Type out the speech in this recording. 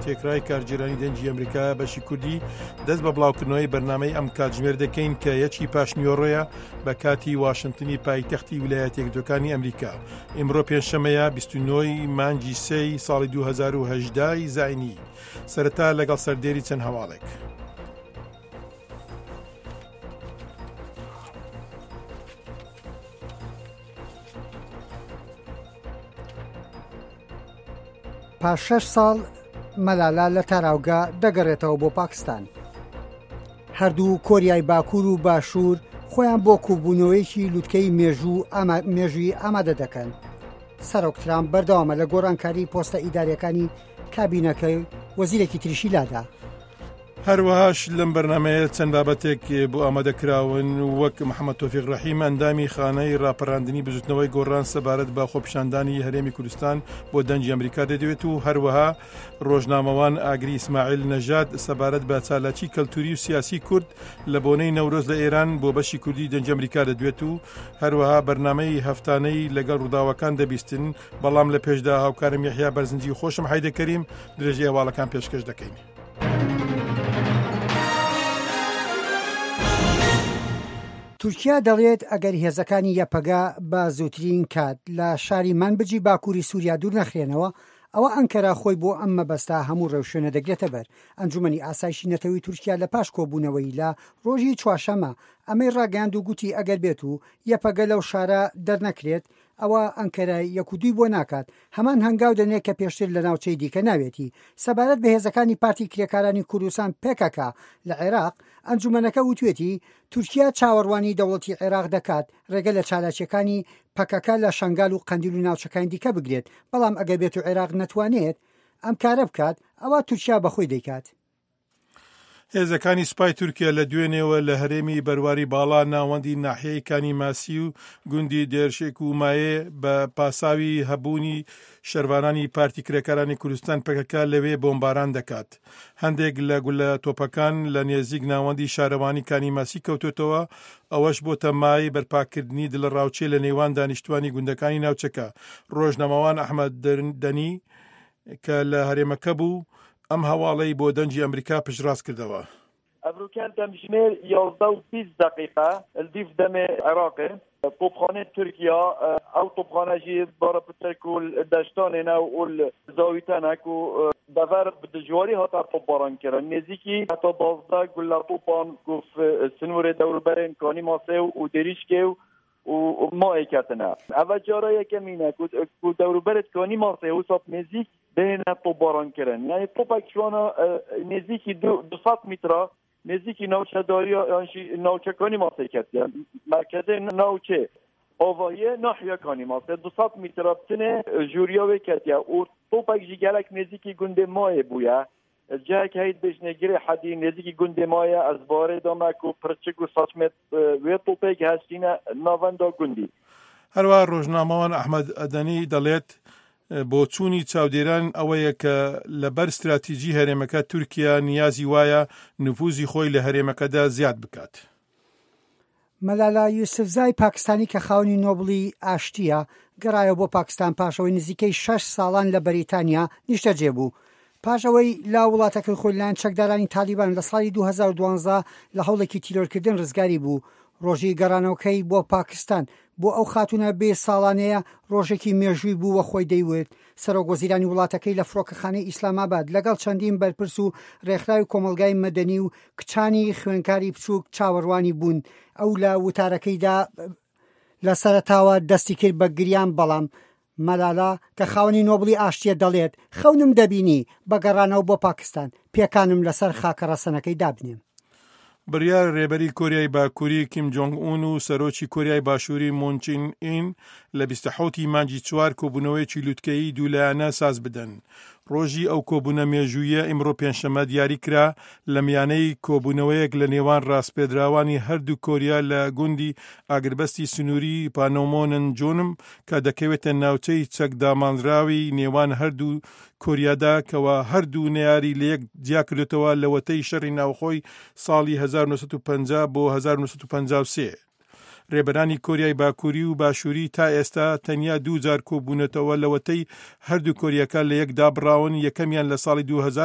تێکرای کارگێرانی دەنگی ئەمریکا بەشی کوردی دەست بە بڵاوکردنەوەی بەرنامەی ئەم کاتژمێر دەکەین کە یەکی پاشنیۆڕۆیە بە کاتی واشنتنی پایتەختی ویلایەتە یەکگرتووەکانی ئەمریکا ئیمڕۆ پێنجشەمەیە 29 مانگی سێی ساڵی 2010 زینی سەرەتا لەگەڵ سەردێری چەند هەواڵێک. پاش شەش ساڵ مەلالا لە تاراوگە دەگەڕێتەوە بۆ پاکستان. هەردوو کۆریای باکوور و باشوور خۆیان بۆ کوبوونەوەیەکی لوتکەی مێژوو مێژووی ئامادە دەکەن. سەرۆک ترامپ بەردەوامە لە گۆڕانکاری پۆستە ئیداریەکانی کابینەکەی وەزیرێکی تریشی لادا. هەروەهاش لەم بەرنمەیە چەند بابەتێک بۆ ئامادە کراون وەک محەممەد تۆفیق ڕەحیم ئەندامی خانەی ڕاپەراندنی بزوتنەوەی گۆڕان سەبارەت بە خۆپیشاندانی هەرێمی کوردستان بۆ دەنگی ئەمریکا دەدوێت و هەروەها ڕۆژنامەوان ئاگری ئیسماعیل نەژاد سەبارەت بە چالاکی کەلتوری و سیاسی کورد لە بۆنەی نەورۆز لە ئێران بۆ بەشی کوردی دەنگی ئەمریکا دەدوێت و هەروەها بەرنمەی هەفتانەی لەگەڵ ڕووداوەکان دەبیستن بەڵام لە پێشدا هاوکارم یەحیا بەرزنجی خۆشم حەیدە کەریم درێژەی هەواڵەکان پێشکەش دەکەین. تورکیا دەڵێت ئەگەر هێزەکانی یەپەگە بە زووترین کات لە شاری مەنبجی باکووری سووریا دوور نەخرێنەوە، ئەوە ئەنکەرە خۆی بۆ ئەم مەبەستە هەموو ڕێوشوێنە دەگرێتە بەر. ئەنجومەنی ئاسایشی نەتەوەی تورکیا لە پاش کۆبوونەوەی لە ڕۆژی چوارشەممە ئەمەی ڕاگەیاند و گوتی ئەگەر بێت و یەپەگە لەو شارە دەرنەکرێت ئەوا ئەنکەرە یەک و دووی بۆ ناکات، هەمان هەنگاو دەنێت کە پێشتر لە ناوچەی دیکە ناوێتی. سەبارەت بە هێزەکانی پارتی کرێکارانی کوردستان پکک لە عێراق، ئەنجومەنەکە وتوێتی، تورکیا چاوەڕوانی دەوڵەتی عێراق دەکات ڕێگە لە چالاکییەکانی پەکەکە لە شەنگال و قەندیل و ناوچەکانی دیکە بگرێت، بەڵام ئەگەر بێتو عێراق نەتوانێت ئەم کارە بکات، ئەوا تورکیا بەخۆی دەیکات. هێزەکانی سوپای تورکیا لە دوێنێوە لە هەرێمی بەرواری باڵا ناوەندی ناحیەی کانی ماسی و گوندی دێرشێک و مایێ بە پاساوی هەبوونی شەرڤانانی پارتی کرێکارانی کوردستان پەکەکە لەوێ بۆمباران دەکات. هەندێک لە گولە تۆپەکان لە نێزیک ناوەندی شارەوانی کانی ماسی کەوتۆتەوە، ئەوەش بۆتە مایەی بەرپاکردنی دڵەڕاوکێ لە نێوان دانیشتوانی گوندەکانی ناوچەکە. ڕۆژنامەوان ئەحمەد دەنی کە لە هەرێمەکە بوو، ئەم هەواڵەی بۆ دەنگی ئەمریکا پشتڕاست کردەوە. ئەڤروکەن دەمژمێر 11 و 20 دەقیقە لدیف دەمێ عێراقێ تۆپخانەی تورکیا ئەو تۆپخانە ژی بارە پتر کو دەشتانێ نە و زاویتەنە کو دەڤەر bi dijwarî hate topbaran kirin. Nêzîkî heta 12 gule topan ku sinûrê dewrûberên Kanîmasê û Dêrîşkê û mayê ketine. Eva cara yekemîn e ku ku dewrûberê Kanîmasê wisa bi nêzîk bihêne topbaran kirin. Yanî topek ji wan nêzîkî 200 mîtra nêzîkî navçedariya yan jî navçe Kanîmasê ketiye. Merkezê navçê avahiyê nahiya Kanîmasê 200 mîtra bi tenê jûriya wê ketiye û topek jî gelek nêzîkî gundê Mayê bûye. Cihek heye dibêjinê Girê Hedî nêzîkî gundê ma ye ez barê dame ku pirçik û saçmê wê topê giheştîne navenda gundî. هەروەها ڕۆژنامەوان ئەحمەد ئەدەنی دەڵێت، بۆچوونی چاودێران ئەوەیە کە لەبەر ستراتیجی هەرێمەکە تورکیا نیازی وایە نفوزی خۆی لە هەرێمەکەدا زیاد بکات. مەلالا یوسفزای پاکستانی کە خاوەنی نۆبڵی ئاشتییە، گەڕایەوە بۆ پاکستان پاش ئەوەی نزیکەی شەش ساڵان لە بەریتانیا نیشتەجێ بوو. پاش ئەوەی لە وڵاتەکەی خۆی لەلایەن چەکدارانی تالیبان لە ساڵی 2012 لە هەوڵێکی تیرۆرکردن ڕزگاری بوو، ڕۆژی گەڕانەوەکەی بۆ پاکستان بۆ ئەو خاتوونە بێ ساڵانەیە ڕۆژێکی مێژووی بوو و خۆی دەیوت سەرۆک وەزیرانی وڵاتەکەی لە فڕۆکەخانەی ئیسلامئاباد لەگەڵ چەندین بەرپرس و ڕێکخراوی کۆمەڵگای مەدەنی و کچانی خوێنکاری بچووک چاوەڕوانی بوون. ئەو لە وتارەکەیدا لە سەرەتاوە دەستی کرد بە گریان بەڵام مەلالا کە خاوەنی نۆبڵی ئاشتییە دەڵێت خەونم دەبینی بە گەڕانەوە بۆ پاکستان پێکانم لەسەر خاکە ڕەسەنەکەی دابنێم. بڕیارە رێبەری کۆریای باکووری کیم جۆنگ ئون و سەرۆکی کۆریای باشووری مون چین ئین لە 27 ی مانگی چوار کۆبوونەوەیەکی لوتکەیی دوولایەنە ساز بدەن. ڕۆژی ئەو کۆبوونە مێژوویە ئیمڕۆ پێنجشەممە دیاری کرا لە میانەی کۆبوونەوەیەک لە نێوان ڕاسپێردراوانی هەردوو کۆریا لە گوندی ئاگربەستی سنووری پانۆمۆننجۆنم کە دەکەوێتە ناوچەی چەکداماڵراوی نێوان هەردوو کۆریادا کەوا هەردوو نەیاری لەیەک جیاکردۆتەوە لەوەتەی شەڕی ناوخۆی ساڵی 1950 بۆ 1953. رێبەرانی کۆریای باکووری و باشووری تا ئێستا تەنیا دووجار کۆبوونەتەوە لەوەتەی هەردوو کۆریاکە لە یەک دابڕاون، یەکەمیان لە ساڵی 2000.